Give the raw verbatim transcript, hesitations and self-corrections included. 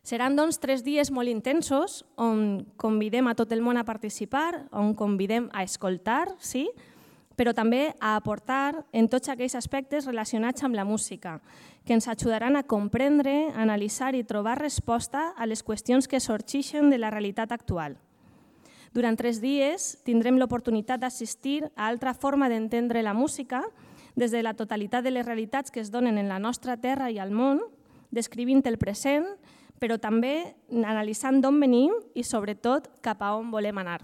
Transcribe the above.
Seran doncs tres dies molt intensos on convidem a tot el món a participar, on convidem a escoltar, sí, però també a aportar en tots aquells aspectes relacionats amb la música, que ens ajudaran a comprendre, analitzar i trobar resposta a les qüestions que sorgeixen de la realitat actual. Durant tres dies tindrem l'oportunitat d'assistir a altra forma d'entendre la música des de la totalitat de les realitats que es donen en la nostra terra i al món, descrivint el present, però també analitzant d'on venim i, sobretot, cap a on volem anar.